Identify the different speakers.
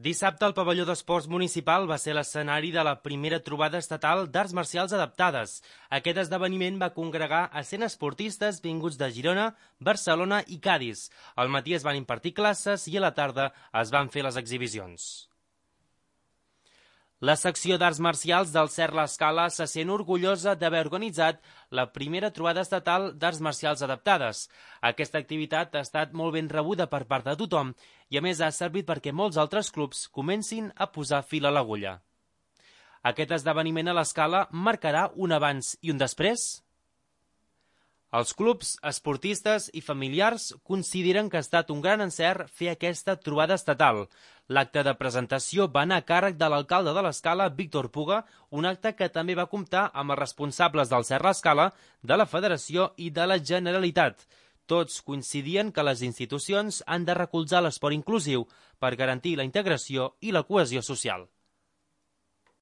Speaker 1: Dissabte, el pavelló d'esports municipal va ser l'escenari de la primera trobada estatal d'arts marcials adaptades. Aquest esdeveniment va congregar a 100 esportistes vinguts de Girona, Barcelona i Cadis. Al matí es van impartir classes i a la tarda es van fer les exhibicions. La secció d'arts marcials del CERT L'Escala se sent orgullosa d'haver organitzat la primera trobada estatal d'arts marcials adaptades. Aquesta activitat ha estat molt ben rebuda per part de tothom i a més ha servit perquè molts altres clubs comencin a posar fil a l'agulla. Aquest esdeveniment a l'Escala marcarà un abans i un després? Els clubs, esportistes i familiars consideren que ha estat un gran encert fer aquesta trobada estatal. L'acte de presentació va anar a càrrec de l'alcalde de l'Escala, Víctor Puga, un acte que també va comptar amb els responsables del CERT L'Escala, de la Federació i de la Generalitat. Tots coincidien que les institucions han de recolzar l'esport inclusiu per garantir la integració i la cohesió social.